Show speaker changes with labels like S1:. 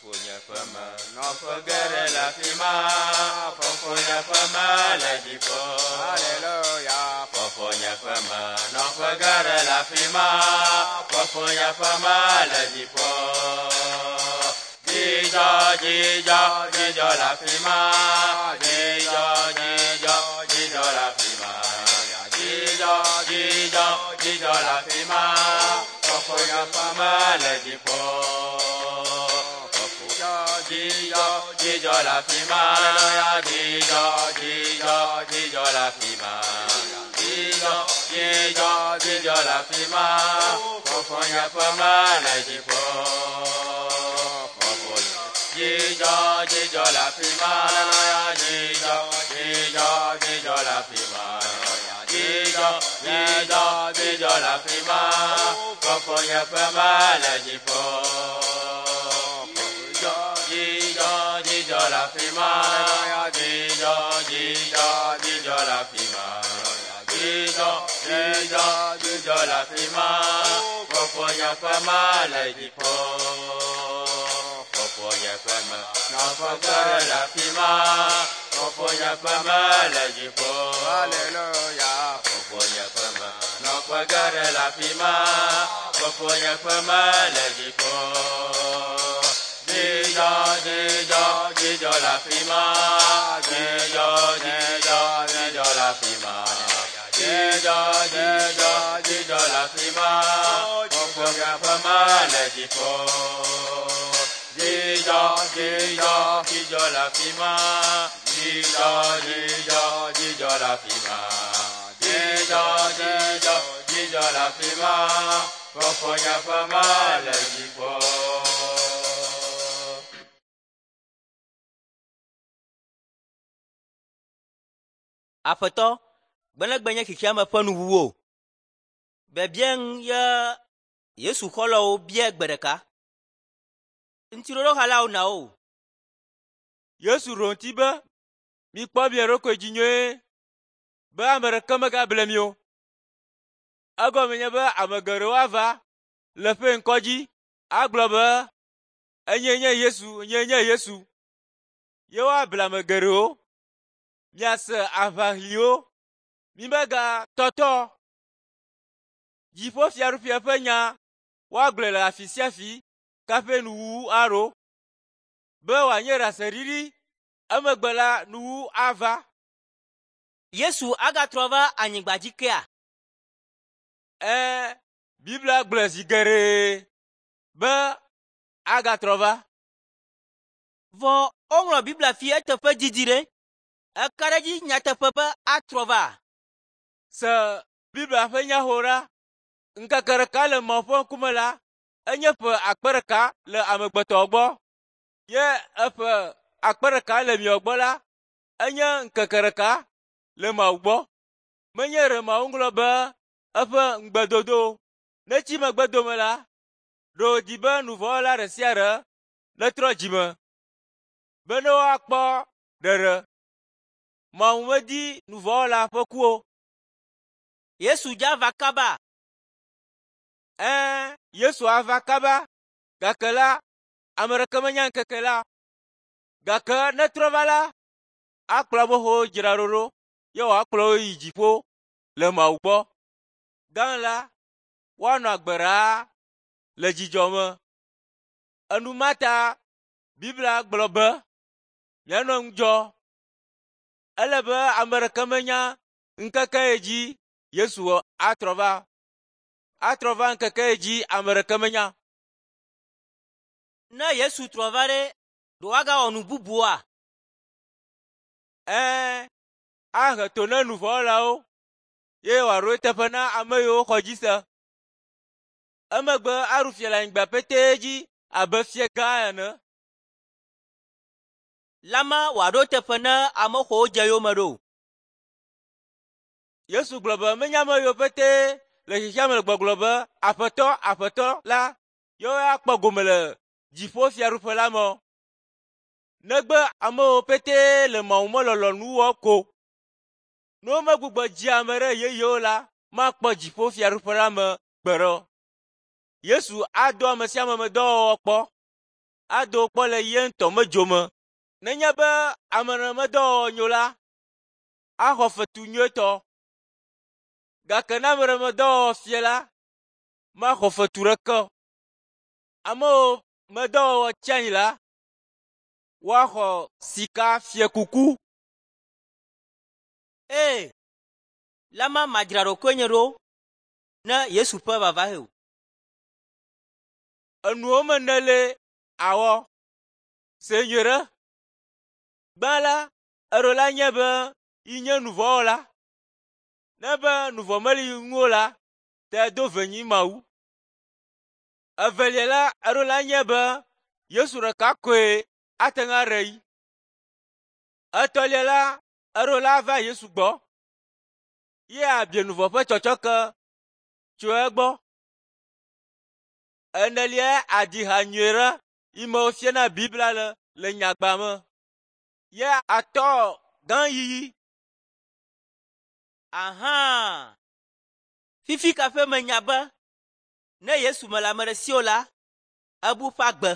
S1: Fofonye ƒe me nɔƒe geɖe le afi ma. Fofonye ƒe me le dziƒo.
S2: Haleluya.
S1: Fofonye ƒe me nɔƒe geɖe le afi ma. Fofonye ƒe me le dziƒo. Dzidzɔ, dzidzɔ, dzidzɔ le afi ma. Dzidzɔ, dzidzɔ, dzidzɔ le afi ma. Dzidzɔ, dzidzɔ, dzidzɔ le afi ma. Fofonye ƒe me le dziƒo. Dzidzɔ, dzidzɔ, dzidzɔ le afi ma. Dzidzɔ, dzidzɔ, dzidzɔ le afi ma. Dzidzɔ, dzidzɔ, dzidzɔ le afi ma. Fofonye ƒe me le dziƒo. Fofonye. Dzidzɔ, dzidzɔ le afi ma. Dzidzɔ, dzidzɔ, dzidzɔ le afi ma. Dzidzɔ, dzidzɔ, dzidzɔ le afi ma. Fofonye ƒe me le dziƒo. Dzidzɔ, dzidzɔ, dzidzɔ le afi ma. Dzidzɔ, dzidzɔ, dzidzɔ le afi ma. Dzidzɔ, dzidzɔ, dzidzɔ le afi ma. Fofonye ƒe me le dziƒo. Fofonye ƒe me nɔƒe geɖe le afi ma. Fofonye ƒe me le dziƒo.
S2: Haleluya.
S1: Fofonye ƒe me nɔƒe geɖe le afi ma. Fofonye ƒe me le dziƒo. Dzidzɔ, dzidzɔ, dzidzɔ le afi ma. Dzidzɔ, dzidzɔ, dzidzɔ le afi ma. Dzidzɔ, dzidzɔ, dzidzɔ le afi ma. Fofonye ƒe me le dziƒo. Dzidzɔ, dzidzɔ, dzidzɔ le afi ma. Dzidzɔ, dzidzɔ, dzidzɔ le afi ma. Dzidzɔ, dzidzɔ, dzidzɔ le afi ma. Fofonye ƒe me le dziƒo.
S3: Aƒetɔ, gbenegbe nye xexea me ƒe nuwuwu o. Biabia ŋu ye Yesu xɔlɔ̃wo bia gbe ɖeka. Ŋutiɖoɖohalawo na wo.
S4: Yesu ɖo ŋuti be, “Mikpɔ mia ɖokui dzi nyuie be ame ɖeke megable mi o. Egɔme nye be ame geɖewo ava le ƒe ŋkɔ dzi agblɔ be, ‘Enyee nye Yesu, nyee nye Yesu.’ Ye woable ame geɖewo. Miase aʋaɣliwo, mimegatɔtɔ o. Dziƒofiaɖuƒea ƒe nya woagblɔe le afi sia afi kaƒe nuwuwu aɖo, be wòanye ɖaseɖiɖi emegbe la nuwuwu ava.
S3: Yesu agatrɔ va anyigba dzi kea?
S4: Ɛ̃, Biblia gblɔe zi geɖe be agatrɔ va.
S3: Vɔ woŋlɔ Biblia fi eteƒe didi ɖe. Eka ɖe edzi nyateƒe be atrɔ va?
S4: Se Biblia ƒe nyawo ɖa. Ŋkeke ɖeka le Mawu ƒe ŋkume la enye ƒe akpe ɖeka le amegbetɔwo gbɔ ye eƒe akpe ɖeka le miawo gbɔ la enye ŋkeke ɖeka le Mawu gbɔ. Menye ɖe Mawu ŋlɔ be eƒe ŋugbedodo netsi megbe dome la, ɖe wòdi be nu vɔ̃ wɔla ɖe sia ɖe netrɔ dzime be ne woakpɔ ɖeɖe. Mawu medi nu vɔ̃ wɔla ƒe ku o.
S3: Yesu dza va kaba.
S4: Ɛ̃, Yesu ava kaba, gake la, ame ɖeke menya ŋkeke la. Gake ne trɔ va la, akplɔ amewo dzra ɖo ɖo ye wòakplɔ wo yi dziƒo le Mawu gbɔ. Gã la, woanɔ agbe ɖaa le dzidzɔ me. Enumata Biblia gblɔ be, mianɔ ŋudzɔ. Ele be ame ɖeke menya ŋkeke yi dzi Yesu atrɔ va. Atrɔ va ŋkeke yi dzi ame ɖeke menya.
S3: Ne Yesu trɔ va ɖe, ɖe woagawɔ nu bubua?
S4: Ɛ̃, ahe to na nu vɔ̃ wɔlawo ye wòaɖo eteƒe na ame yiwo xɔ dzi se. Emegbe aɖu fia le anyigba petee dzi abe fia gã ene.
S3: Lama wòaɖo eteƒe na ame xɔwo dze yome ɖo.
S4: Yesu gblɔ be menye ame yiwo petee le xexea me le gbɔgblɔ be Aƒetɔ, Aƒetɔ la yewoe akpɔ gome le dziƒofiaɖuƒe la me o. Negbe amewo petee le Mawu me lɔlɔ̃nu wɔm ko. Ne womegbugbɔ dzi ame ɖe yeyewo la, makpɔ dziƒofiaɖuƒe la me gbeɖe o. Yesu ado ame sia ame me dɔwɔwɔ kpɔ. Ado kpɔ le ye ŋutɔ me dzo me. Nenye be ame ɖe medɔwɔwɔ nyo la, axɔ fetu nyuietɔ. Gake ne ame ɖe medɔwɔwɔ fie la, maxɔ fetu ɖeke o. Amewo medɔwɔwɔ tsi anyi la, woaxɔ sika fiekuku.
S3: Ee, lama madzra ɖokuinye ɖo ne Yesu ƒe vava he o.
S4: Enuwo me nele awɔ se nyuie ɖe. Gbã la, eɖo la nye be yi nye nuvɔ̃wɔla. Ne be nuvɔ̃ meli ŋu o la, te do venyi Mawu. Evelia la, eɖo la nye be Yesu ɖeka koe ate ŋu aɖe yi. Etɔ̃lia la, eɖo la va Yesu gbɔ ye abia nuvɔ̃ ƒe tsɔtsɔke tso egbɔ. Enelia adi ha nyuie ɖe yi me wofiana Biblia le le nyagba me. Ye atɔ gã yiyi.
S3: Ahã! Fifi kaƒe menya be ne Yesu mele ame ɖe si o la, ebu ƒe agbe.